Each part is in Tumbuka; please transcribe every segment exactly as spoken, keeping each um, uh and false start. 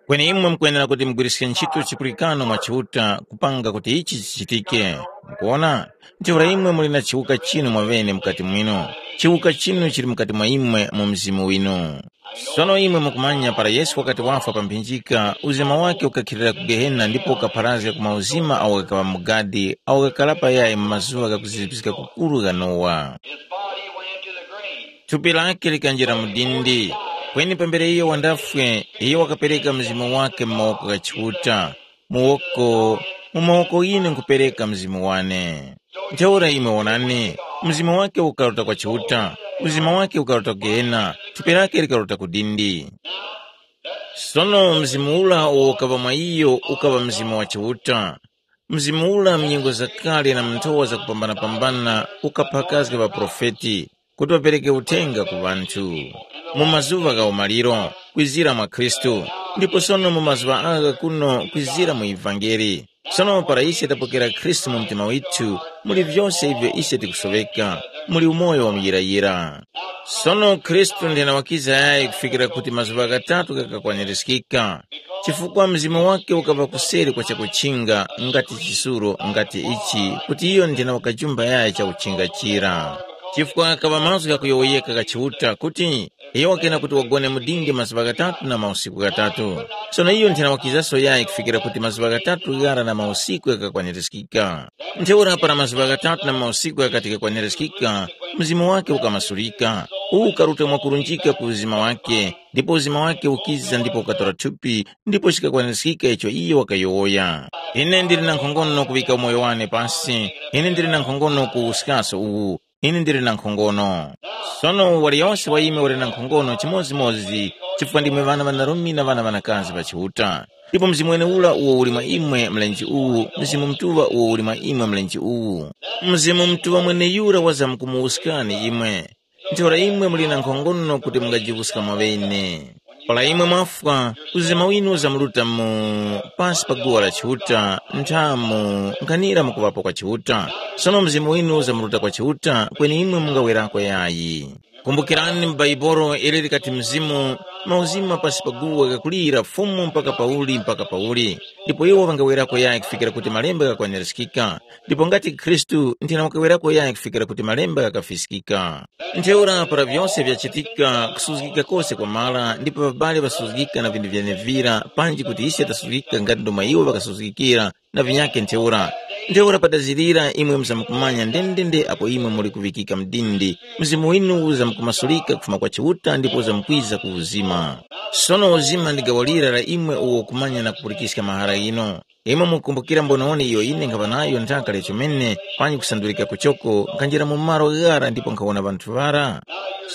Kweni imwe mukwenera kuti mugwiriske ntchito chipulikano mwa Chiuta kupanga kuti ichi chichitike. Mukuwona? Ntheura imwe muli na chiwuka chinu mwaŵene mukati mwinu. Chiwuka chinu chili mukati mwa imwe mu mzimu winu. Sono imwe mukumanya para Yesu wakati wafwa pa mphinjika, uzima wakhe ukakhilira ku Gehena ndipo ukapharazga ku mauzima awo ghakaŵa mu gadi, awo ghakara payayi mu mazuŵa gha kuzizipiska kukuru gha Nowa. His body went into the grave. Thupi lakhe likanjira mu dindi. Kweni pambere iyo wandafwe, iyo wakapereka mzimu wakhe mu mawoko gha Chiuta. Muwoko, mu mawoko ghinu nkhupereka mzimu wane. Ntheura imwe wonani, mzimu wakhe ukaruta kwa Chiuta, uzima wakhe ukaruta ku Gehena, thupi lakhe likaruta ku dindi. Sono mzimu ura uwo ukaŵa mwa iyo ukaŵa mzimu wa Chiuta. Mzimu ura mu nyengo zakale na mu nthowa zakupambana-pambana ukaphakazga ŵaprofeti, kuti ŵapereke uthenga ku ŵanthu. Mu mazuŵa gha umaliro, kwizira mwa Khristu, ndipo sono mu mazuŵa agha kuno kwizira mu ivangeli. Sono para ise tapokera Khristu mu mtima withu, muli vyose ivyo ise tikusoŵeka, muli umoyo wa muyirayira. Sono Khristu ndena wakiza yayi kufikira kuti mazuŵa ghatatu ghakakwanirizgika, chifukwa mzimu wakhe ukaŵa kuseri kwa chakutchinga, ngati chisuro, ngati ichi, kuti iyo ndena wakajumba yayi chakutchinga chira. Chifukwa ghaŵa mazgu ghakuyowoyeka gha Chiuta kuti, iyo wakena kuti wagone mu dindi mazuŵa ghatatu na mausiku ghatatu. Sono iyo nthena wakizaso yayi kufikira kuti mazuŵa ghatatu ghara na mausiku ghakakwanirizgika. Ntheura para mazuŵa ghatatu na mausiku ghakati ghakwanirizgika, mzimu wakhe ukamasulika. Uwu ukaruta mwakurunjika ku uzima wakhe, ndipo uzima wakhe ukiza ndipo ukatora thupi, ndipo chikakwanirizgika icho iyo wakayowoya. Ine ndili na nkhongono kuŵika umoyo wane pasi, ine ndili na nkhongono ku uskaso uwu, ine ndili na nkhongono. Sono waliyose wa imwe wali na nkhongono chimodzimodzi, chifukwa ndimwe ŵana ŵanarume na ŵana ŵanakazi ŵa Chiuta. Ndipo Mzimu mwenewura uwo uli mwa imwe mlenje uwu, Mzimu Mutuŵa uwo uli mwa imwe mlenje uwu. Mzimu Mutuŵa mweneyura wazamkumuwuskani imwe. Ntheura imwe muli na nkhongono kuti mungajiwuska mwaŵene. Para imwe mwafwa, uzima winu uzamuruta mu pasi pa guwa la Chiuta, nthamu, nkhanira mukuŵapo kwa Chiuta. Sono mzimu winu uzamuruta kwa Chiuta, kweni imwe mungawerako yayi. Kumbukirani mu Baibolo ili likati mzimu, mauzima pasi pa guwa ghakulira Fumu mpaka pauli mpaka pauli, ndipo iwo ŵangawerako yayi kufikira kuti malemba ghakwanirizgika. Ndipo ngati Khristu nthena wakawerako yayi kufikira kuti malemba ghakafiskika. Ntheura para vyose vyachitika, kusuzgika kose kwamara, ndipo ŵabali ŵasuzgika na vinthu vyenevira, panji kuti ise tasuzgika ngati ndomwe iwo ŵakasuzgikira, na vinyakhe ntheura. Ntheura padazirira imwe muzamkumanya ndendende apo imwe muli kuŵikika mdindi, mzimu winu uzamkumasulika kufuma kwa Chiuta ndipo uzamkwiza ku uzima. Sono uzima ndi gawo lira la imwe uwo kumanya na kupulikiska mahara ghino. Imwe mukukumbukira mbononi iyo ine nkhaŵa nayo nthaka lya chomene, panyi kusandulika kuchoko, nkhanjira mu malo ghara ndipo nkhawona ŵanthu ŵara?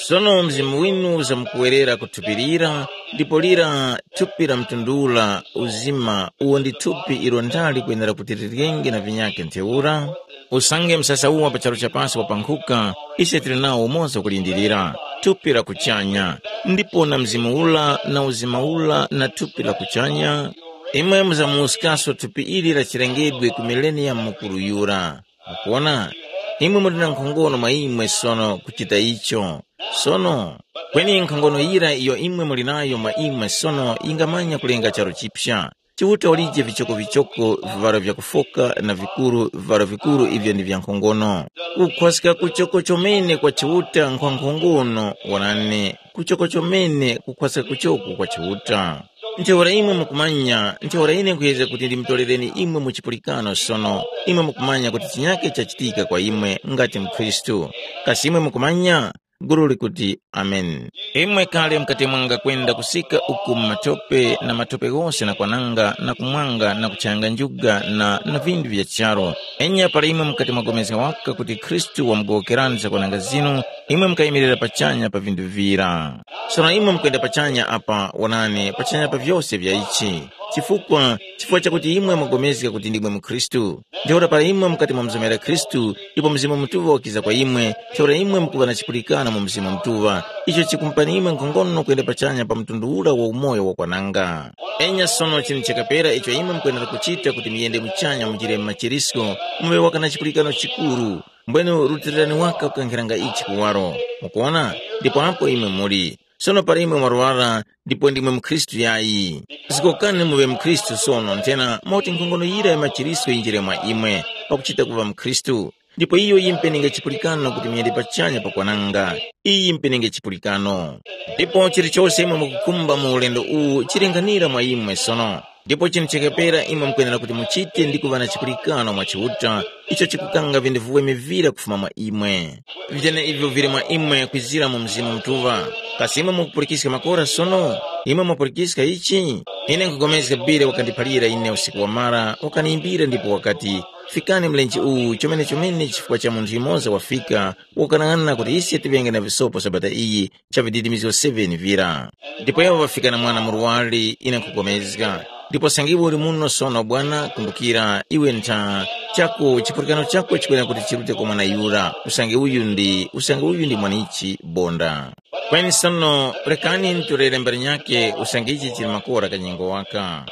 Sono mzimu winu uzamkuwerera ku thupi lira, ndipo lira thupi la mtundu ula uzima, uwo ndi thupi ilo ndali kwenera kuti liryenge na vinyakhe ntheura? Usange msasa uwa pa charu cha pasi wapankhuka, ise tili nawo umoza kulindirira, thupi la kuchanya, ndipo na mzimu ula na uzima ula na thupi la kuchanya, imwe muzamuwuskaso thupi ili la chilengedwe ku mileniyamu mukuru yura. Mukuwona? Imwe muli na nkhongono mwa imwe sono kuchita icho. Sono, kweni nkhongono yira iyo imwe muli nayo mwa imwe sono yingamanya kulenga charu chipya. Chiuta ulije vichokovichoko, vivaro vyakufoka na vikuru, vivaro vikuru ivyo ndi vya nkhongono. Kukhwaska kuchoko chomene kwa Chiuta nkhwa nkhongono, wonani, kuchoko chomene kukhwaska kuchoko kwa Chiuta. Ntheura imwe mukumanya, ntheura ine nkhuyezga kuti ndimutorereni imwe mu chipulikano sono, imwe mukumanya kuti chinyake chachitika kwa imwe ngati mkhristu. Kasi imwe mukumanya? Gulu likuti, Ameni. Imwe kale mukati mwanga kwenda kusika uku mu matope na matope ghose na kwananga na kumwanga na kuchayanga njuga na, na vindu vya charu. Enya para imwe mukati mwagomezga waka kuti Khristu wamugowokerani zakwananga zinu, imwe mukayimirira pachanya pa vindu vira. Sono imwe mukwenda pachanya apa, wonani, pachanya pa vyose vya ichi. Chifukwa, chifukwa chakuti imwe mwagomezga kuti ndimwe mukhristu. Ntheura para imwe mukati mwamuzomera Khristu, ndipo Mzimu Mutuŵa wakiza kwa imwe, ntheura imwe mukuŵa na chipulikano mu Mzimu Mutuŵa, icho chikumupani imwe nkhongono kuyenda pachanya pa mtundu ura wa umoyo wakwananga. Enya sono chinthu chakapera icho imwe mukwenera kuchita kuti muyende muchanya munjire mu machirisko, muŵe waka na chipulikano chikuru, mbwenu rutirirani waka kukankhiranga ichi kuwaro. Mukuwona? Ndipo apo imwe muli. Sono para imwe mwarwara, ndipo ndimwe mukhristu yayi. Zikokani muŵe mukhristu sono nthena moti nkhongono yira ya machiritso yinjire mwa imwe, pakuchita kuŵa mukhristu. Ndipo iyo yimpenenge chipulikano kuti muyende pachanya pakwananga. Iyi yimpenenge chipulikano. Ndipo chilichose imwe mukukhumba mu ulendo uwu chilinganira mwa imwe sono. Ndipo chinthu chakapera imwe mukwenera kuti muchite ndi kuŵa na chipulikano mwa Chiuta, icho chikukanga vindivuwe mivira kufuma mwa imwe. Vyeneivi vili mwa imwe kwizira mu Mzimu Mutuŵa. Kasi imwe mukupulikiska makora sono? Imwe mwapulikiska ichi? Ine nkugomezga Bile wakandiphalira ine usiku wamara, wakaniyimbira ndipo wakati, fikani mlenje uwu chomene-chomene chifukwa cha munthu yumoza wafika, wakanang'ana kuti ise tiŵenge na visopo sabata iyi cha vididimizgo seven vira. Ndipo iwo ŵafika na mwana murwari ine nkhupulikana. Ndipo usange iwe uli muno sono bwana kumbukira iwe ntha chako chipulikano chako chikwenera kuti chirute kwa mwana yura usange uyu ndi usange uyu ndi mwanichi bonda. Kweni sono rekani ntorere mbali nyake usange ichi chili makora kanyengo waka.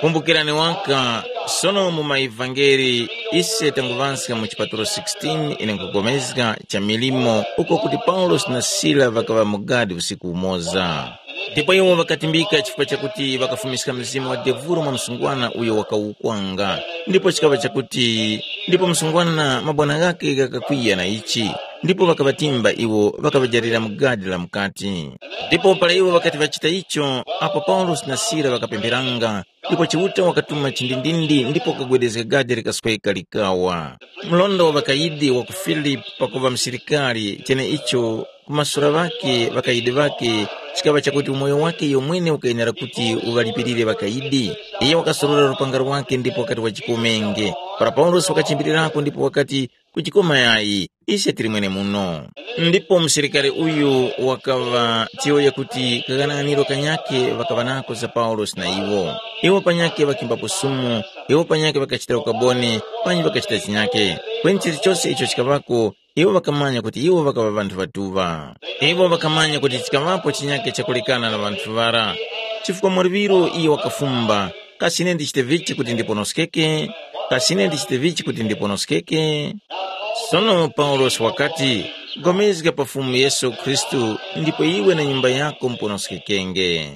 Kumbukirani waka, sono mu maivangeli ise tanguŵaska mu chipatulo sixteen ine nkugomezga cha milimo uko kuti Paulosi na Sila ŵakaŵa mu gadi usiku umoza. Ndipo iwo ŵakatimbika chifukwa chakuti ŵakafumiska mzimu wa devuro mwa msungwana uyo wakawukwanga. Ndipo chikaŵa chakuti ndipo msungwana mabwana ghakhe ghakakwiya na ichi, ndipo ŵakaŵatimba iwo ŵakaŵajarira mu gadi la mukati. Ndipo para iwo ŵakati ŵachita icho, apo Paulosi na Sila ŵakapempheranga, ndipo Chiuta wakatuma chindindindi ndipo wakagwedezga gadi likasweka likawa. Mlonda wa ŵakayidi wa ku Filipi pakuŵa msilikari cheneicho ku masura ghakhe ŵakayidi ŵakhe chikaŵa chakuti umoyo wakhe yomwene ukayenera kuti uŵalipirire ŵakayidi. Iye wakasorora lupanga lwakhe ndipo wakati wajikomenge. Para Paulosi wakachimbirirako ndipo wakati, kuchikoma yayi, ise tili mwenemuno. Ndipo musilikari uyu wakaŵa tiyowoya kuti kaghanaghaniro kanyakhe ŵakaŵa nako za Paulosi na iwo. Iwo panyakhe ŵakimbapo sumu, iwo panyakhe ŵakachita ukaboni, panji ŵakachita chinyakhe. Kweni chilichose icho chikaŵako, iwo ŵakamanya kuti iwo ŵakaŵa ŵanthu ŵatuŵa. Iwo ŵakamanya kuti chikaŵapo chinyakhe chakulekana na ŵanthu ŵara. Chifukwa mwa luŵiro iye wakafumba, kasi ine ndichite vichi kuti ndiponoskeke? Kasi ine ndichite vichi kuti ndiponoskeke? Sono Paulosi wakati, gomezga pa Fumu Yesu Khristu, ndipo iwe na nyumba yako muponoskekenge.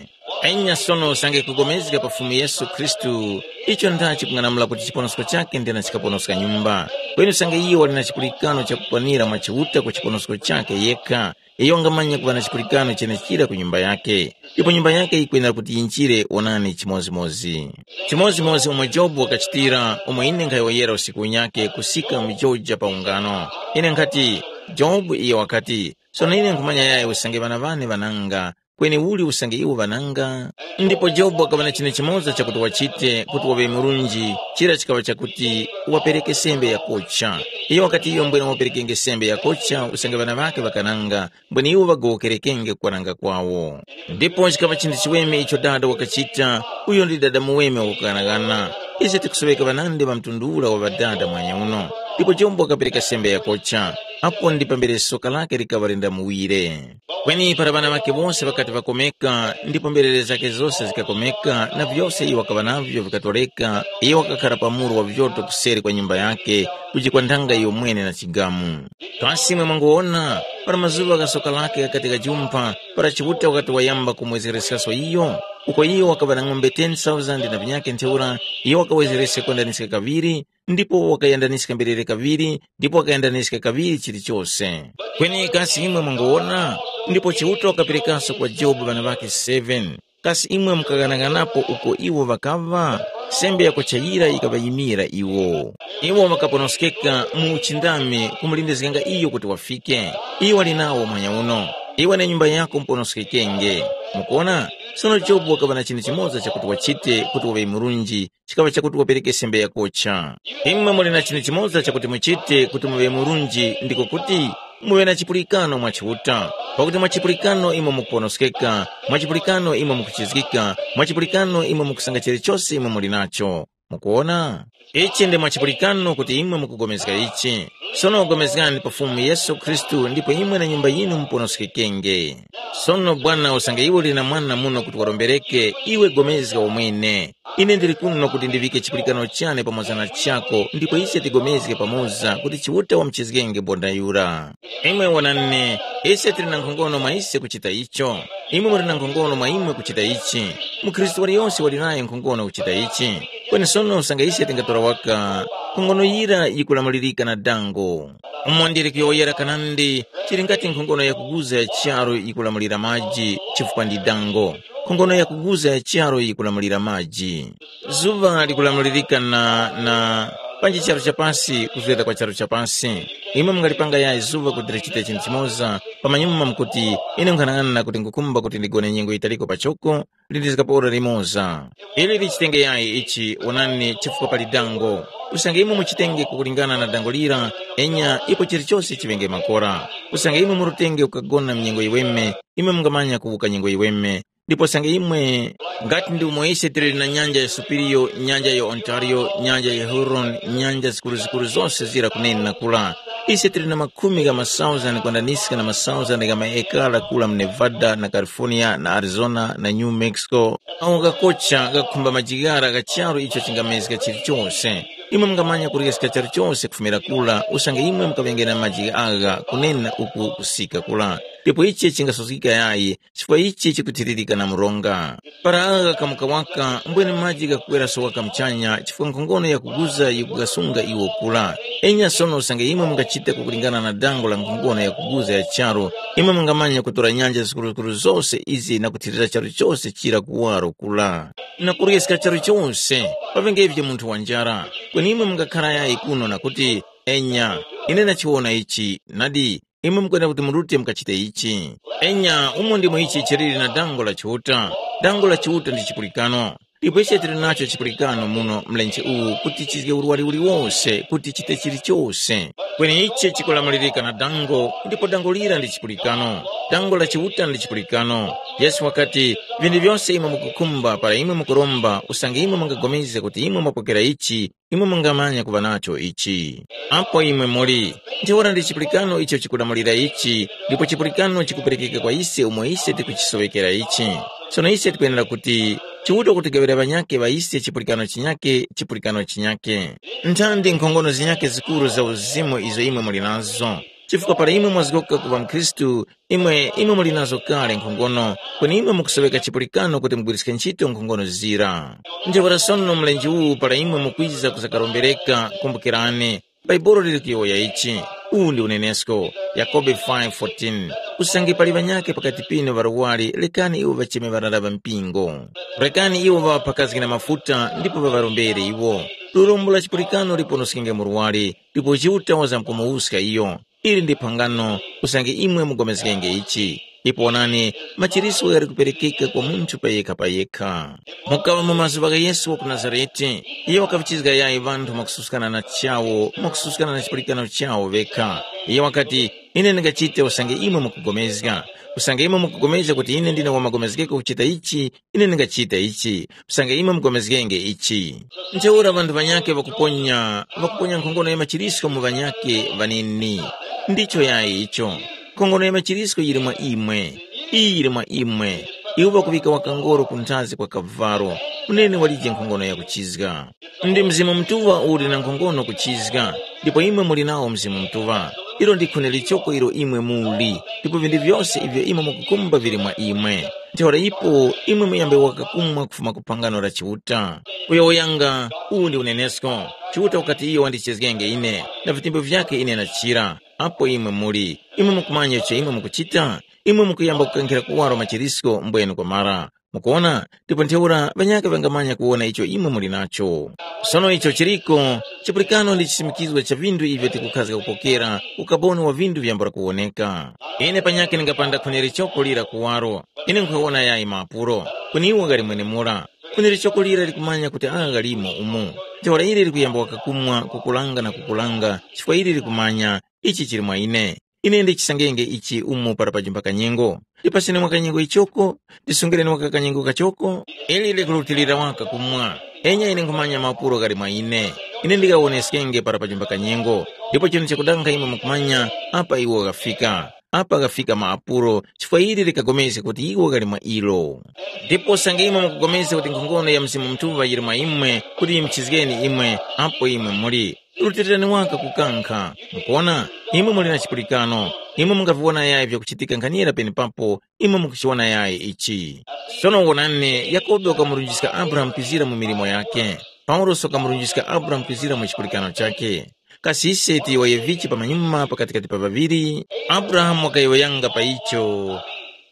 Enya sono usange kugomezga pa Fumu Yesu Khristu, icho ndachi kung'anamula kuti chiponosko chakhe ndena chikaponoska nyumba. Kweni usange iye wali na chipulikano chakukwanira mwa Chiuta ku chiponosko chakhe yekha, iyo wangamanya kuŵa na chipulikano chenechira ku nyumba yakhe, ndipo nyumba yakhe yikwenera kuti yinjire wonani chimodzimodzi. Chimodzimodzi umo Jobu wakachitira, umo ine nkhayowoyera usiku unyakhe kusika mu Georgia pa ungano. Ine nkhati, Jobu iyo wakati, sono ine nkhumanya yayi usange ŵana ŵane ŵananga, kweni uli usange iwo ŵananga? Ndipo Jobu wakaŵa na chine chimoza chakuti wachite kuti waŵe murunji, chira chikaŵa chakuti wapereke sembe yakocha. Iyo wakati iyo mbwene waperekenge sembe yakocha usange ŵana ŵakhe ŵakananga, mbwene iwo ŵagowokerekenge kukwananga kwawo. Ndipo chikaŵa chinthu chiweme icho dada wakachita, uyo ndi dada muweme wakughanaghana. Ise tikusoŵeka ŵanandi ŵa mtundu ura wa ŵadada mwanya uno. Ndipo Jobu wakapereka sembe yakocha, apo ndi pambere soka lake likaŵa lindamuwire. Kweni para ŵana ŵakhe wose ŵakati ŵakomeka, ndipo mberere zakhe zose zikakomeka, na vyose iyo wakaŵa navyo vikatoreka, iyo wakakhara pa muru wa vyoto kuseri kwa nyumba yakhe, kujikwandanga iyo mwene na chigamu. Kasi imwe mwanguwona, para mazuŵa gha soka lakhe ghakati ghajumpha, para Chiuta wakati wayamba kumwezereskaso iyo, uko iyo wakaŵa na ng'ombe ten thousand na vinyakhe ntheura, iyo wakawezereska kwendaniska kaŵiri, ndipo wakayandaniska mberere kaŵiri, ndipo wakayandaniska kaŵiri chilichose. Kweni kasi imwe mwanguwona? Ndipo Chiuta wakaperekaso kwa Jobu ŵana ŵakhe seven. Kasi imwe mukaghanaghanapo uko iwo ŵakaŵa? Sembe yakochayira yikaŵayimira iwo. Iwo ŵakaponoskeka mu uchindami kumulindizganga iyo kuti wafike. Iwo ali nawo mwanya uno. Iwe na nyumba yako muponoskekenge. Mukuona? Sono Jobu wakaŵa na chinthu chimoza chakuti wachite kuti waŵe murunji, chikaŵa chakuti wapereke sembe yakocha. Imwe muli na chinthu chimoza chakuti muchite kuti muŵe murunji, ndiko kuti muŵe na chipulikano mwa Chiuta. Pakuti mwa chipulikano imwe mukuponoskeka, mwa chipulikano imwe mukuchizgika, mwa chipulikano imwe mukusanga chilichose imwe muli nacho. Mukuwona? Ichi ndi mwachipulikano kuti imwe mukugomezga ichi. Sono gomezgani pa Fumu Yesu Khristu ndipo imwe na nyumba yinu muponoskekenge. Sono bwana usange iwe uli na mwana muno kuti warombereke, iwe gomezga umwene. Ine ndili kuno kuti ndiŵike chipulikano chane pamoza na chako ndipo ise tigomezge pamoza kuti Chiuta wamuchizgenge mbonda yura. Imwe wonani, ise tili na nkhongono mwa ise kuchita icho. Imwe muli na nkhongono mwa imwe kuchita ichi. MuKhristu waliyonse wali nayo nkhongono kuchita ichi. Kweni sono usange ise tingatora waka, nkhongono yira yikulamulirika na dango. Umo ndili kuyowoyera kanandi, chili ngati nkhongono yakuguza ya charu yikulamulira maji chifukwa ndi dango. Nkhongono yakuguza ya charu yikulamulira maji. Zuŵa likulamulirika na, na panji charu cha pasi kuzwera kwa charu cha pasi. Imwe mungalipanga yayi zuŵa kuti lichite chinthu chimoza, pamanyuma mukuti, ine nkhanang'ana kuti ngukumba kuti ndigone nyengo yitaliko pachoko, lindizgapora limoza. Ili lichitenge yayi ichi, wonani chifukwa pali dango. Usange imwe muchitenge kukulingana na dango lira, enya ipo chilichose chiŵenge makora. Usange imwe murutenge kukagona mnyengo yiweme, imwe mungamanya kuwuka nyengo yiweme. Ndipo usange imwe, ngati ndi umo ise tili na nyanja ya Superior, nyanja ya Ontario, nyanja ya Huron, nyanja zikuruzikuru zose zira kuneni na kula. Ise tili na makhumi gha masauzani kwandaniska na masauzani gha maekala kula mu Nevada na California na Arizona na New Mexico. Awo ghakocha ghakukhumba majighara gha charu icho chingamezga chilichose. Imwe mungamanya kuryeska charu chose kufumira kula usange imwe mukaŵengera maji agha kunena uku kusika kula. Ndipo ichi chingasuzgika yayi, chifukwa ichi chikuthiririka na mronga. Para agha kamuka waka, mbwene maji ghakukwera so waka muchanya, chifukwa nkhongono yakuguza yikugasunga iwo kula. Enya sono usange imwe mungachita kukulingana na dango la nkhongono yakuguza ya charu, imwe mungamanya kutora nyanja zikurukuru zose izi na kuthirira charu chose chira kuwaro kula. Na kuryeska charu chose, pavengevye munthu wa njara. Kweni imwe mungakhara yayi kuno na kuti, enya, ine ndachiwona ichi, nadi, imwe mukwenda kuti murute mukachite ichi. Enya, umo ndimo ichi chiliri na dango la Chiuta. Dango la Chiuta ndi chipulikano. Ndipo ise tili nacho chipulikano muno mlenje uwu kuti chizge urwari uliwose, kuti chite chilichose. Kweni ichi chikulamulirika na dango, ndipo dango lira ndi chipulikano. Dango la Chiuta ndi chipulikano. Yesu wakati, vinthu vyose imwe mukukhumba para imwe mukuromba, usange imwe mungapulikana kuti imwe mwapokera ichi, imwe mungamanya kuŵa nacho ichi. Apo imwe muli, ntheura ndi chipulikano icho chikulamulira ichi, ndipo chipulikano chikuperekeka kwa ise umo ise tikuchisowekera ichi. Sono ise tikwenera kuti, Chiuta kutigaŵira ŵanyakhe ŵa ise chipulikano chinyakhe, chipulikano chinyakhe. Nthandi nkhongono zinyakhe zikuru za uzimu izo imwe muli nazo. Chifukwa para imwe mwazgoka kuŵa mkhristu, imwe imwe muli nazo kale nkhongono, kweni imwe mukusoweka chipulikano kuti mugwiriske ntchito nkhongono zira. Ntheura sono mlenje uwu para imwe mukwiza kuzakarombereka, kumbukirani, Bhaibuli lili kuyowoya ichi. Uwu ndi unenesko, Yakobe five fourteen. Usange pali ŵanyakhe pakati pinu ŵaruwari, lekani iwo ŵacheme ŵarara ŵa mpingo. Rekani iwo ŵaŵaphakazge na mafuta ndipo ŵaŵarombere iwo. Lurombo la chipulikano liponoskenge murwari, ndipo Chiuta wazamkumuwuska iyo. Ili ndi phangano, usange imwe mugomezgenge ichi. Ipo wonani, machiritso ghali kuperekeka kwa munthu payekha payekha. Mukaŵa mu mazuŵa gha Yesu wa ku Nazarete, iyo wakaŵachizga yayi ŵanthu mwakususkana na chawo, mwakususkana na chipulikano chawo ŵekha. Iyo wakati, ine ndingachite usange imwe mukugomezga. Usange imwe mukugomezga kuti ine ndine wamagomezgeko kuchita ichi, ine ndingachita ichi, usange imwe mugomezgenge ichi. Ntheura ŵanthu ŵanyakhe ŵakuponya, ŵakuponya nkhongono ya machiritso mu ŵanyakhe ŵaneni. Ndicho yayi icho. Nkhongono ya machiritso yili mwa imwe. Iyi yili mwa imwe. Iwo ŵakuŵika wakangoro ku nthazi kwa kavalo. Muneni walije nkhongono yakuchizga. Ndi Mzimu Mutuŵa uli na nkhongono kuchizga, ndipo imwe muli nawo Mzimu Mutuŵa. Ilo ndi khuni lichoko ilo imwe muli, ndipo vinthu vyose ivyo imwe mukukhumba vili mwa imwe. Ntheura ipo imwe muyambe waka kumwa kufuma ku phangano la Chiuta. Kuyowoyanga, uwu ndi unenesko. Chiuta wakati iyo wandichezgenge ine, na vitembo vyakhe ine ndachira. Apo imwe muli, imwe mukumanya icho imwe mukuchita? Imwe mukuyamba kukankhira kuwaro machirisko mbwenu kwamara. Mukuona? Ndipo ntheura ŵanyakhe ŵangamanya kuwona icho imwe muli nacho. Sono icho chiriko, chipulikano ndi chisimikizgo cha vinthu ivyo tikukhazga kupokera, ukaboni wa vinthu vyambula kuwoneka. Ine panyakhe ndingapanda khunere choko lira kuwaro, ine nkhuyawona yayi maapulo, kweni iwo ghali mwenemura. Khunere choko lira likumanya kuti agha ghalimo umu. Ntheura ili likuyamba wakakumwa, kukulanga na kukulanga, chifukwa ili likumanya, ichi chili mwa ine. Ine ndichisangenge ichi umo para pajumba kanyengo. Ndipaseni mwa kanyengo ichoko, ndisungireni waka kanyengo kachoko. Ili likurutilira waka kumwa. Enya ine nkhumanya maupulo ghali mwa ine. Ine ndikawoneskenge para pachumba ka nyengo, ndipo chinu chakudanga imwe mukumanya apa iwo ghafika. Apa ghafika maupulo, chifukwa ili likapulikana kuti iwo ghali mwa ilo. Ndipo usange imwe mukupulikana kuti nkhongono ya Mzimu Mutuŵa yili mwa imwe, kuti yimuchizgeni imwe, apo imwe muli, rutilirani waka kukankha. Mukuona, imwe muli na chipulikano, imwe mungaviwona yayi vyakuchitika nkhanira penepapo, imwe mukuchiwona yayi ichi. Sono wonani, Yakobe wakamurunjiska Abrahamu kwizira mu milimo yakhe. Paulosi wakamurunjiska Abrahamu kwizira mu chipulikano chakhe. Kasi ise tiyowoye vichi pamanyuma pakatikati pa ŵaŵiri? Abrahamu wakayowoyanga pa icho.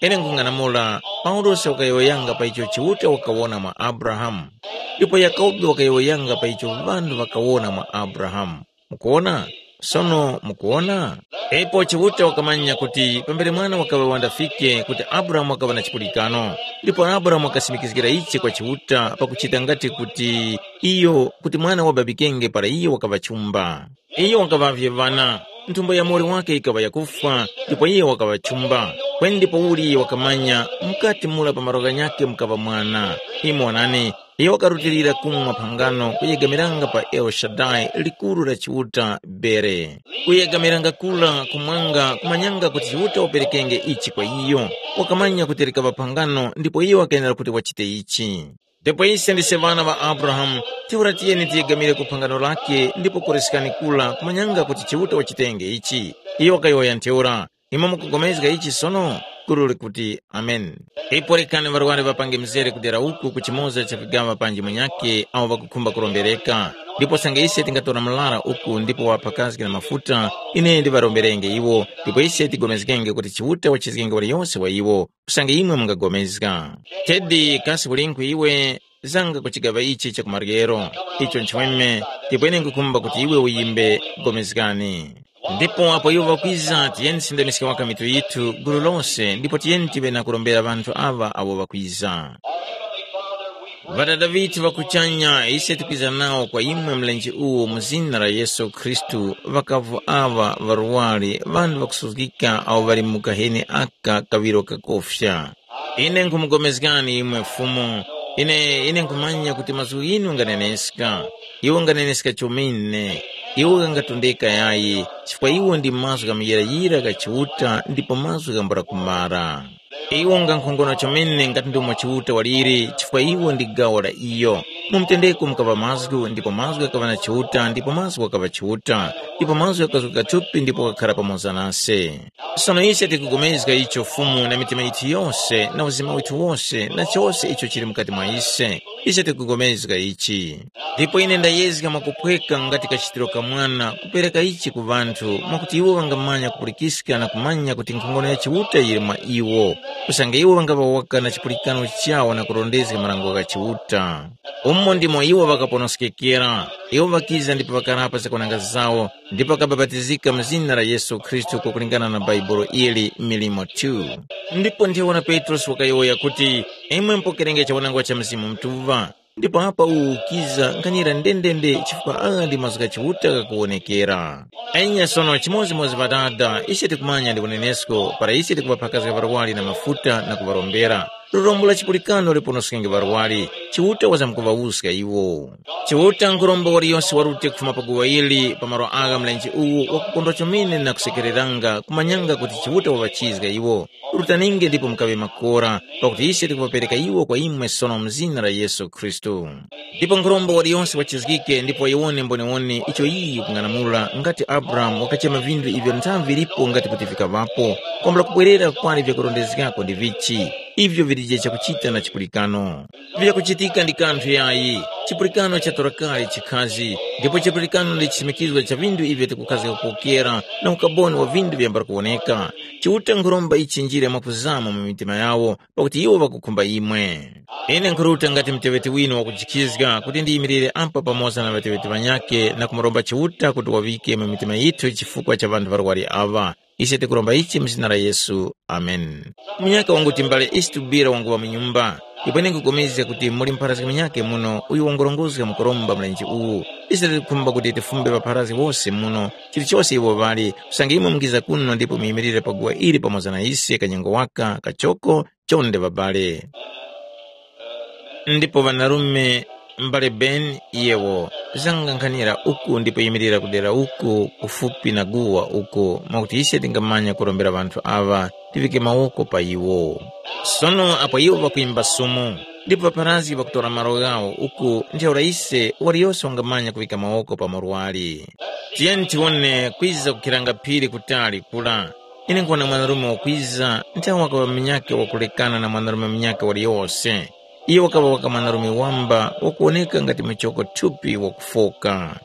Ine nkhung'anamula, Paulosi wakayowoyanga pa icho Chiuta wakawona mwa Abrahamu, ndipo Yakobe wakayowoyanga pa icho ŵanthu ŵakawona mwa Abrahamu. Mukuwona? Sono mukuwona? Ipo Chiuta wakamanya kuti pambere mwana wakaŵa wandafike kuti Abrahamu wakaŵa na chipulikano, ndipo Abrahamu wakasimikizgira ichi kwa Chiuta pakuchita ngati kuti iyo kuti mwana wababikenge para iyo wakaŵa chumba. Iyo wakaŵavye ŵana, nthumbo ya muwoli wake yikaŵa yakufwa, ndipo iye wakaŵa chumba. Kweni ndipouli iyo wakamanya mukati mura pa malo ghanyakhe mukaŵa mwana. Imwe wonani, iyo wakarutilira kumwa phangano kuyegamiranga pa El Shaddai likuru la Chiuta bere. Kuyegamiranga kura kumwanga kumanyanga kuti Chiuta waperekenge ichi kwa iyo. Wakamanya kuti likaŵa phangano ndipo iyo wakenera kuti wachite ichi. Ndipo ise ndise ŵana ŵa Abrahamu, ntheura tiyeni tiyegamire ku phangano lakhe ndipo koreskani kura kumanyanga kuti Chiuta wachitenge ichi. Iyo wakayowoya ntheura, imwe mukupulikana ichi sono? Gulu likuti, Ameni. Ipo rekani ŵarwari ŵapange mzere kudera uku ku chimoza cha vigaŵa panji munyakhe awo ŵakukhumba kurombereka. Ndipo sange ise tingatora murara uku ndipo waphakazge na mafuta, ine ndiŵaromberenge iwo, ndipo ise tigomezgenge kuti Chiuta wachizgenge waliyose wa iwo, usange imwe mungapulikana. Tedi kasi ulinkhu iwe zanga ku chigaŵa ichi cha kumaryero, icho nchweme, tipwene nkukhumba kuti iwe uyimbe, pulikana. Ndipo apo iwo ŵakwiza tiyeni tisindamiske waka mitu yithu gulu lose ndipo tiyeni tiŵe na kurombera ŵanthu aŵa awo ŵakwiza. Ŵadada ŵithu ŵa kuchanya, ise tikwiza nawo kwa imwe mlenje uwu mu zina la Yesu Khristu, ŵakavu aŵa ŵarwari, ŵanthu ŵakusuzgika awo ŵali mu gaheni aka kaŵiro kakofya. Ine nkhumugomezgani imwe Fumu, ine ine nkhumanya kuti mazgu ghinu nganeneska. Iwo nganeneska chomene, iwo ghangatondeka yayi, chifukwa iwo ndi mazgu gha muyirayira gha Chiuta ndipo mazgu ghambula kumara. Iwo ngankhongono chomene ngati ndomwe Chiuta waliri, chifukwa iwo ndi gawo la iyo. Mu mutendeko mukaŵa mazgu, ndipo mazgu ghakaŵa na Chiuta, ndipo mazgu ghakaŵa Chiuta, ndipo mazgu ghakazguka thupi ndipo ghakhara pamoza nase. Sono ise tikugomezga icho Fumu na mitima yithu yose na uzima withu wose na chose icho chili mukati mwa ise. Ise tikugomezga ichi. Ndipo ine ndayezga mwakuphweka ngati kachitiro ka mwana kupereka ichi ku ŵanthu mwakuti iwo ŵangamanya kupulikiska na kumanya kuti nkhongono ya Chiuta yili mwa iwo. Usange iwo ŵangaŵa waka na chipulikano chawo na kurondezga marango gha Chiuta. Umo ndimo iwo ŵakaponoskekera. Iwo ŵakiza ndipo ŵakarapa zakwananga zawo ndipo ŵakabapatizika mu zina la Yesu Khristu kwakulingana na Bhaibuli ili milimo tu. Ndipo ntheura Petrosi wakayowoya kuti, imwe mupokerenge chawanangwa cha Mzimu Mutuŵa, ndipo apa uwu ukiza nkhanira ndendende chifukwa agha ndi mazgu gha Chiuta ghakuwonekera. Enya sono chimodzimodzi Ŵadada, ise tikumanya ndi unenesko para ise tikuŵaphakazga ŵarwari na mafuta na kuŵarombera. Lurombo la chipulikano liponoskenge ŵarwari, Chiuta wazamkuŵawuska iwo. Chiuta nkhuromba waliyose warute kufuma pa guwa ili pa malo agha mlenje uwu wakukondwa chomene na kusekereranga kumanyanga kuti Chiuta waŵachizga iwo. Rutaninge ndipo mukaŵe makora, pakuti ise tikuŵapereka iwo kwa imwe sono mu zina la Yesu Khristu. Ndipo nkhuromba waliyose wachizgike ndipo wayiwone mboniwone icho iyi yikung'anamula ngati Abrahamu wakachema vinthu ivyo nthavi vilipo ngati kuti vikaŵapo, kwambula kubwerera kwali vyakurondezgako ndi vichi, ivyo vilije chakuchita na chipulikano. Vyakuchitika ndi kanthu yayi, chipulikano chatora kale chikhazi, ndipo chipulikano ndi chisimikizgo cha vinthu ivyo tikukhazga kupokera na ukaboni wa vinthu vyambala kuwoneka. Chiuta nkhuromba ichinjire mwakuzama mu mitima yawo, pakuti iwo ŵakukhumba imwe. Ine nkhuruta ngati muteŵeti winu wakujikizga kuti ndiyimirire apa pamoza na ŵateŵeti ŵanyakhe na kumuromba Chiuta kuti waŵike mu mitima yithu chifukwa cha ŵanthu ŵarwari aŵa. Ise tikuromba ichi mu zina la Yesu. Amen. Munyaka wanguti mbale Isitubira wanguŵa mu nyumba. Ipwe ndingupulikana kuti muli mpharazgi munyakhe muno uyo wangurongozga mu kuromba mlenje uwu. Ise tikukhumba kuti tifumbe ŵapharazgi wose muno, chilichose iwo ŵali, usange imwe mungiza kuno ndipo muyimirire pa guwa ili pamoza na ise kanyengo waka kachoko, chonde ŵabale. Ndipo ŵanarume M'bale Ben, iyewo, zanga nkhanira uku ndipo yimirira kudera uku kufupi na guwa uku, mwakuti ise tingamanya kurombera ŵanthu aŵa, tiŵike mawoko pa iwo. Sono apo iwo ŵakwimba sumu, ndipo ŵapharazgi ŵakutora malo ghawo uku, ntheura ise waliyose wangamanya kuŵika mawoko pa murwari. Tiyeni tiwone kwiza kukhiranga phiri kutali kura. Ine nkuwona mwanarume wakwiza, nthawe wakaŵa munyakhe wakulekana na mwanarume munyakhe waliyose. Iyo wakaŵa waka mwanarume wamba wakuwoneka ngati muchoko thupi wakufoka.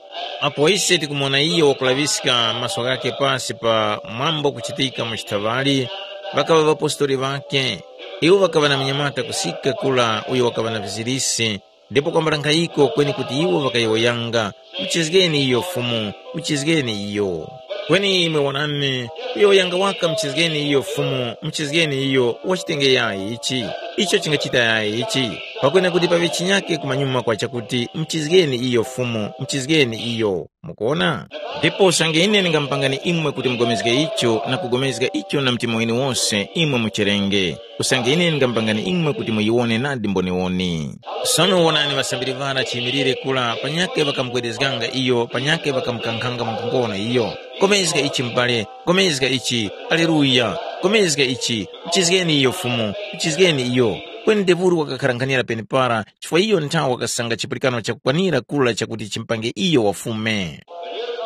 Apo ise tikumuwona iyo wakulaŵiska maso ghakhe pasi pa mwambo kuchitika mu chithaŵali, ŵakaŵa ŵapostoli ŵakhe. Iwo ŵakaŵa na munyamata kusika kura uyo wakaŵa na vizirisi, ndipo kwambula nkhayiko kweni kuti iwo ŵakayowoyanga, “Muchizgeni iyo Fumu, muchizgeni iyo.” Kweni imwe waname, kuyowoyanga waka, “Muchizgeni iyo Fumu, muchizgeni iyo,” wachitenge yayi ichi? Icho chingachita yayi ichi? Pakwene kuti paŵe chinyake kumanyuma kwa chakuti, “Muchizgeni iyo Fumu, muchizgeni iyo.” Mukuona? Ndipo usange ine ndingamupangani imwe kuti mugomezge icho na kugomezga icho na mtima winu wose, imwe mucherenge. Usange ine ndingamupangani imwe kuti muyiwone nadi mboniwoni. Sono wonani ŵasambiri ŵara chiyimilire kura panyakhe ŵakamugwedezganga iyo, panyakhe ŵakamukankhanga mu nkhongono iyo, “Komezga ichi mubali, komezga ichi, aleluya, komezga ichi, mchizgeni iyo Fumu, mchizgeni iyo.” Kweni Debuli wakakharankhanira penepara, chifukwa iyo nthawe wakasanga chipulikano chakukwanira kura chakuti chimpange iyo wafume.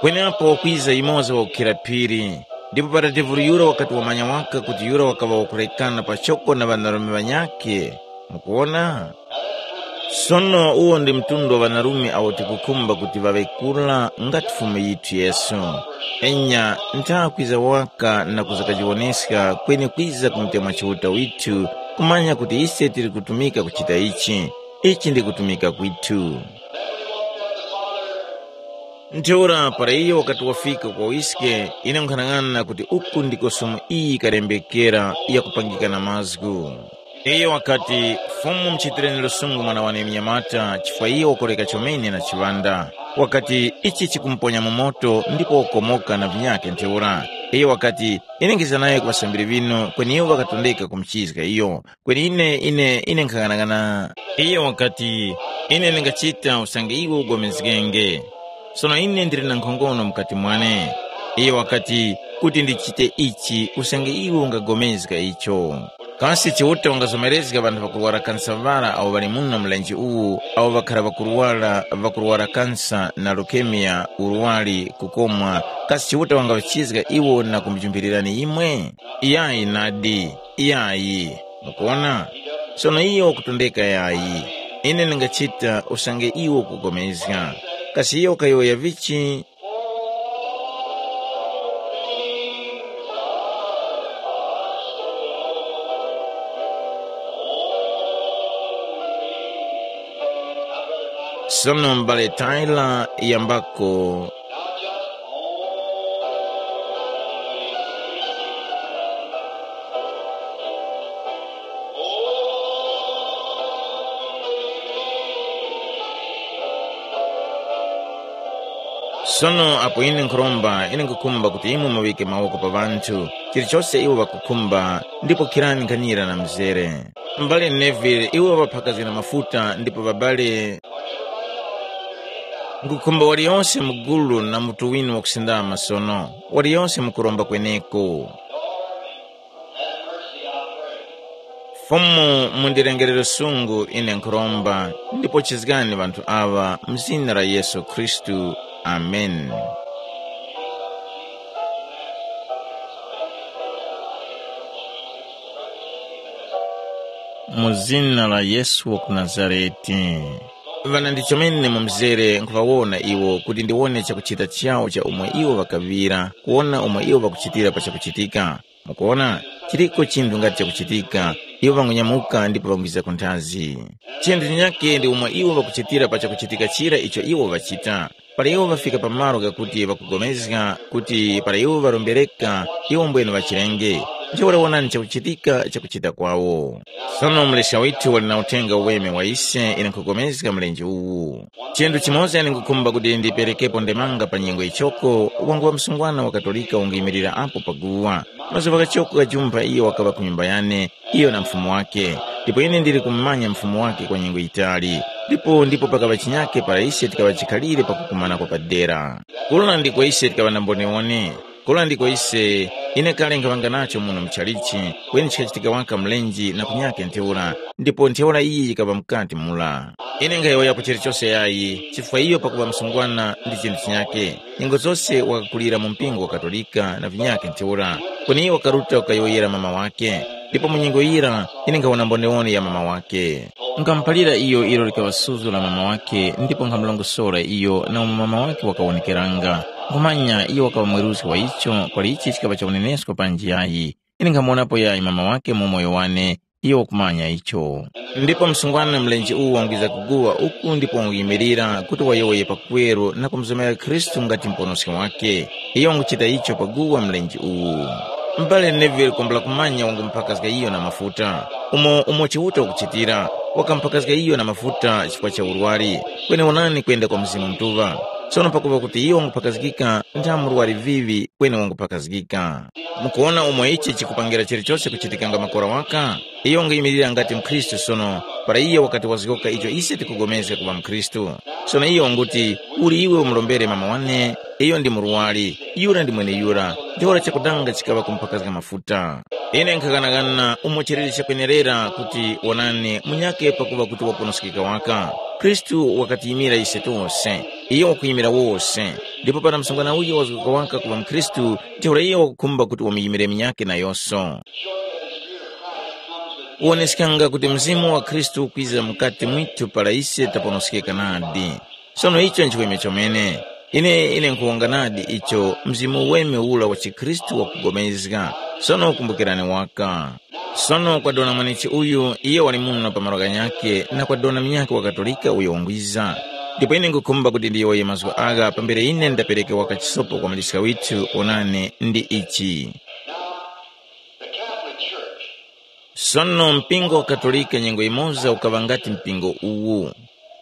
Kweni apo wakwiza yumoza wakukhira phiri, ndipo para Debuli yura wakati wamanya waka kuti yura wakaŵa wakulekana pachoko na ŵanarume ŵanyakhe, mukuwona? Sono uwo ndi mtundu wa ŵanarume awo tikukhumba kuti ŵaŵe kura nga Fumu yithu Yesu. Enya, ntha kwiza waka na kuza kajiwoneska kweni kwiza ku Mutemwa Chiuta withu, kumanya kuti ise tili kutumika kuchita ichi. Ichi ndi kutumika kwithu. Ntheura para iyo wakati wafika kwa wiske, ine nkhanang'ana kuti uku ndiko somo iyi yikalembekera yakupangika na mazgu. Iyo wakati, “Fumu, muchitireni lusungu mwana wane munyamata, chifukwa iyo wakoreka chomene na chiŵanda.” Wakati, “Ichi chikumuponya mu moto ndipo wakomoka na vinyakhe ntheura.” Iyo wakati, “Ine nkhiza nayo ku ŵasambiri ŵinu, kweni iwo ŵakatondeka kumuchizga iyo. Kweni ine, ine, ine nkhang'anang'ana.” Iyo wakati, “Ine ndingachita usange iwe ugomezgenge. Sono ine ndili na nkhongono mukati mwane.” Iyo wakati, “Kuti ndichite ichi usange iwe ungagomezga icho.” Kasi Chiuta wangazomerezga ŵanthu ŵakurwara kansa ŵara awo ŵali muno mlenje uwu, awo ŵakhara ŵakurwara, ŵakurwara kansa na leukemia, urwari, kukomwa? Kasi Chiuta wangaŵachizga iwo na kumujumphilirani imwe? Iyayi nadi, iyayi. Mukuwona? Sono iyo wakutondeka yayi. Ine ndingachita usange iwo ukugomezga. Kasi iyo wakayowoya vichi? Sono m'bale Tyler yambako. Sono apo ine nkhuromba, ine nkhukhumba kuti imwe muŵike mawoko pa ŵanthu, chilichose iwo ŵakukhumba, ndipo khirani nkhanira na mzere. M'bale Neville, iwo ŵaphakazge na mafuta, ndipo ŵabale, nkhukhumba waliyonse mu gulu na mutu winu wakusindama sono, waliyonse mukuromba kweneko. Fumu, mundilengerere sungu ine nkhuromba, ndipo chizgani ŵanthu aŵa mu zina la Yesu Khristu. Ameni. Mu zina la Yesu wa ku Nazarete. Ŵana ndi chomene mu mzere nkhuŵawona iwo kuti ndiwone chakuchita chawo cha umo iwo ŵakaŵira, kuwona umo iwo ŵakuchitira pa chakuchitika. Mukuwona, chiriko chinthu ngati chakuchitika, iwo ŵangunyamuka ndipo ŵangwiza ku nthazi. Chinthu chinyakhe ndi umo iwo ŵakuchitira pa chakuchitika chira icho iwo ŵachita. Para iwo ŵafika pa malo ghakuti ŵakugomezga kuti para iwo ŵarombereka, iwo mbwene ŵachirenge. Ntheura wonani chakuchitika chakuchita kwawo. Sono Mlesha withu wali na uthenga uweme wa ise, ine nkhugomezga mlenje uwu. Chinthu chimoza ine nkhukhumba kuti ndiperekepo ndemanga pa nyengo yichoko, wangu wa msungwana wa Katolika wanguyimirira apo pa guwa. Mazuŵa ghachoko ghajumpha iyo wakaŵa ku nyumba yane, iyo na mfumu wake. Ndipo ine ndili kumumanya mfumu wake kwa nyengo yitali. Ndipo ndipo pakaŵa chinyake para ise tikaŵa chikhalire pakukumana kwa padera. Kura ndiko ise tikaŵa na mboniwoni. Kura ndiko ise, ine kale nkhaŵanga nacho muno muchalichi, kweni chikachitika waka mlenje na kunyake ntheura, ndipo ntheura iyi yikaŵa mukati mura. Ine nkhayowoyapo chilichose yayi, chifukwa iyo pakuŵa msungwana ndi chinthu chinyake. Nyengo zose wakakulira mu mpingo wa Katolika na vinyakhe ntheura, kweni iyo wakaruta kukayowoyera mama wakhe, ndipo mu nyengo yira ine nkhawona mboniwoni ya mama wakhe. Nkamuphalira iyo ilo likaŵa suzu la mama wakhe ndipo nkhamulongosora iyo na umo mama wakhe wakawonekeranga. Nkhumanya iyo wakaŵa mweruzgi wa icho kwali ichi chikaŵa cha unenesko panji yayi. Ine nkhamuwonapo yayi mama wakhe mu umoyo wane, iyo wakumanya icho. Ndipo msungwana mlenje uwu wangwiza kuguwa uku ndipo wanguyimirira kuti wayowoye pakweru na kumuzomera Khristu ngati muponoski wake. Iyo wanguchita icho paguwa mlenje uwu. M'bale Neville kwambula kumanya wangumuphakazga iyo na mafuta. Umo umo Chiuta wakuchitira, wakamuphakazga iyo na mafuta chifukwa cha urwari. Kweni wonani kwenda kwa Mzimu Mutuŵa. Sono pakuŵa kuti iyo wanguphakazgika, nthamu urwari vivi kweni wanguphakazgika. Mukuwona umo ichi chikupangira chilichose kuchitikanga makora waka? Iyo wangayimirira ngati mkhristu sono, para iyo wakati wazgoka icho ise tikupulikana kuŵa mkhristu. Sono iyo wanguti, uli iwe umurombere mama wane, iyo ndi murwari, yura ndi mweneyura, ntheura chakudanga chikaŵa kumuphakazga mafuta. Ine nkhaghanaghananga umo chiliri chakwenerera kuti wonani munyakhe pakuŵa kuti waponoskika waka. Khristu wakatiyimira ise tose, iyo wakuyimira wose. Ndipo para msungwana uyo wazgoka waka kuŵa mkhristu, ntheura iyo wakukhumba kuti wamuyimire munyakhe nayose. Kuwoneskanga kuti Mzimu wa Khristu ukwiza mukati mwithu para ise taponoskeka nadi. Sono icho nchiweme chomene. Ine ine nkhuwonga nadi icho Mzimu Weme ura wa chikhristu wakupulikana. Sono kumbukirani waka. Sono kwadona mwanechi uyu, iyo wali muno pa malo ghanyakhe, na kwadona munyakhe wa Katolika uyo wangwiza. Ndipo ine nkhukhumba kuti ndiyowoye mazgu agha pambere ine ndapereke waka chisopo kwa muliska withu, onani, ndi ichi. The Catholic Church. Sono mpingo wa Katolika nyengo yimoza ukaŵa ngati mpingo uwu.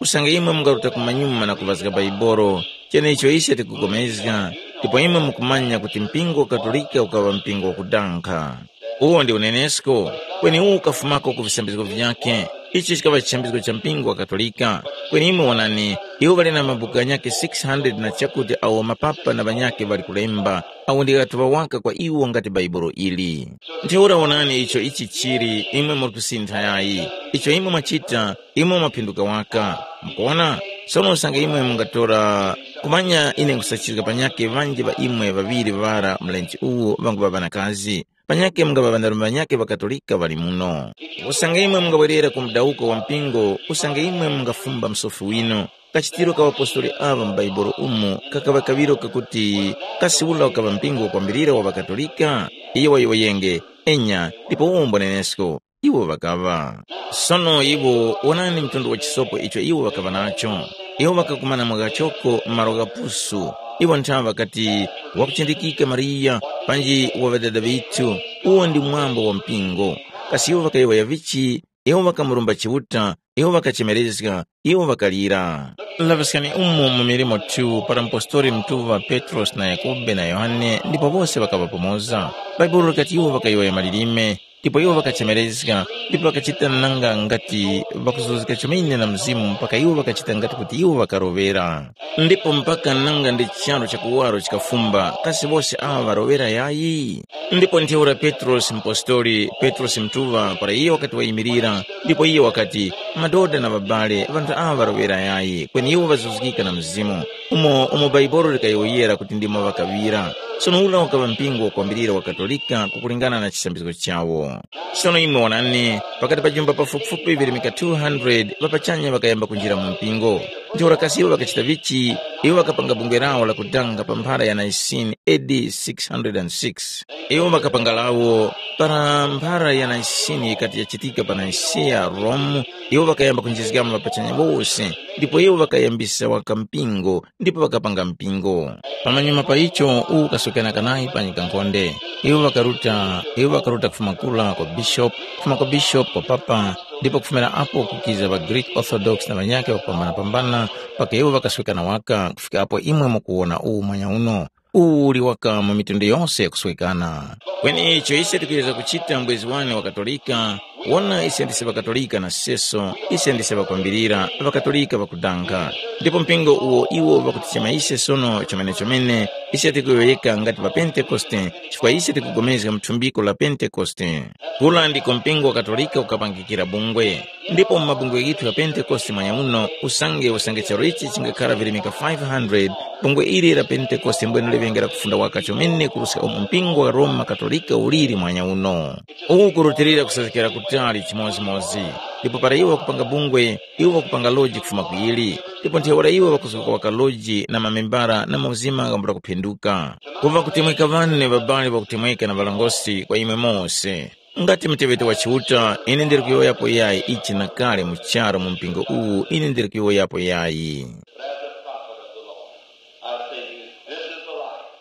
Usange imwe mungaruta kumanyuma na kuŵazga Baibolo, chenecho ise tikupulikana, ndipo imwe mukumanya kuti mpingo wa Katolika ukaŵa mpingo wakudankha. Uwo ndi unenesko, kweni uwu ukafumako ku visambizgo vyakhe. Ichi chikaŵa chisambizgo cha mpingo wa Katolika. Kweni imwe wonani, iwo ŵali na mabuku ghanyakhe six hundred na chakuti awo mapapa na ŵanyakhe ŵali kulemba, awo ndi ŵatuŵa waka kwa iwo ngati Baibolo ili. Ntheura wonani icho ichi chili, imwe muri kusintha yayi. Icho imwe mwachita, imwe mwaphinduka waka. Mukuwona? Sono usange imwe mungatora kumanya ine nkhusachizga panyakhe ŵanji ŵa imwe ŵaŵiri ŵara mlenje uwu ŵanguŵa ŵanakazi. Panyakhe mungaŵa ŵanarume ŵanyakhe ŵaKatolika ŵali muno. Usange imwe mungawerera ku mudawuko wa mpingo, usange imwe mungafumba msofi winu, kachitiro ka ŵapostoli aŵa mu Baibolo umu kakaŵa kaŵiro kakuti kasi ula ukaŵa mpingo wakwambirira wa ŵaKatolika? Iyo wayowoyenge, enya, ndipo uwo mbonenesko. Iwo ŵakaŵa. Sono iwo wonani mtundu wa chisopo icho iwo ŵakaŵa nacho. Iwo ŵakakumana mu ghachoko m'malo ghapusu. Iwo nthawe ŵakati, wakuchindikika Mariya, panji wa ŵadada ŵithu, uwo ndi mwambo wa mpingo. Kasi iwo ŵakayowoya vichi? Iwo ŵakamurumba Chiuta, iwo ŵakachemerezga, iwo ŵakalira. Laŵiskani umu mu milimo two para mpostori mutuŵa Petrosi na Yakhobe na Yohane ndipo wose ŵakaŵa pamoza. Bhaibuli likati iwo ŵakayowoya malilime, ndipo iwo ŵakachemerezga, ndipo ŵakachita nanga ngati ŵakuzuzika chomene na Mzimu mpaka iwo ŵakachita ngati kuti iwo ŵakaroŵera. Ndipo mpaka nanga ndi charu cha kuwaro chikafumba, kasi wose awa ŵaroŵera yayi? Ndipo ntheura Petrosi mpostori, Petrosi mutuŵa para iyo wakati wayimirira, ndipo iyo wakati, madoda na ŵabale, ŵanthu awa ŵaroŵera yayi, kweni iwo ŵazuzikika na Mzimu. Umo umo Baibolo likayowoyera kuti ndimo ŵakaŵira. Sono ura wakaŵa mpingo wakwambirira wa Katolika kukulingana na chisambizgo chawo. Sono imwe wonani, pakati pa jumba pafupifupi virimika two hundred ŵapachanya ŵakayamba kunjira mu mpingo. Ntheura kasi iwo ŵakachita vichi? Iwo ŵakapanga bungwe lawo lakudanga pa mphara ya Nicene A D six hundred and six. Iwo ŵakapanga lawo para mphara ya Nicene yikati yachitika pa Nicaea, Rome, iwo ŵakayamba kunjizgamo ŵapachanya wose, ndipo iwo ŵakayambisa waka mpingo, ndipo ŵakapanga mpingo. Pamanyuma pa icho, uwu ukaswekana kanayi pa nyika nkhonde. Iwo ŵakaruta, iwo ŵakaruta kufuma kura kwa bishopu, kufuma kwa bishopu kwa papa, ndipo kufumira apo kukiza ŵa Greek Orthodox na ŵanyakhe ŵakupambanapambana, mpaka iwo ŵakaswekana waka, kufika apo imwe mukuwona uwu mwanya uno. Uwu uli waka mu mitundu yose yakuswekana. Kweni icho ise tikuyeza kuchita mbwezi wane wa Katolika, Wona ise ndise ŵaKatolika na seso, ise ndise ŵakwambirira, ŵaKatolika ŵakudankha. Ndipo mpingo uwo iwo ŵakutichema ise sono chomene-chomene, ise tikuyowoyeka ngati ŵaPentekoste, chifukwa ise tikupulikana mu thumbiko la Pentekoste. Kura ndiko mpingo wa Katolika ukapangikira bungwe. Ndipo mu mabungwe ghithu gha Pentekoste mwanya uno, usange usange charu ichi chingakhara virimika five hundred, bungwe ili la Pentekoste mbwene liŵenge lakufunda waka chomene kuruska umo mpingo wa Roma Katolika uliri mwanya uno. Uku kurutilira kusazgekera kutali chimodzimodzi. Ndipo para iwo ŵakupanga bungwe, iwo ŵakupanga loji kufuma ku ili. Ndipo ntheura iwo ŵakuzguka waka loji na mamembara na mauzima ghambula kuphenduka. Kuŵa kutemweka ŵane ŵabali ŵakutemweka na ŵalongosi kwa imwe mose. Ngati muteŵeti wa Chiuta, ine ndili kuyowoyapo yayi ichi na kale mu charu mu mpingo uwu, ine ndili kuyowoyapo yayi.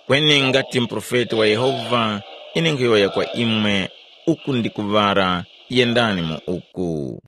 Kweni ngati muprofeti wa Yehova, ine nkhuyowoya kwa imwe, uku ndi kuŵara, yendani mu uku.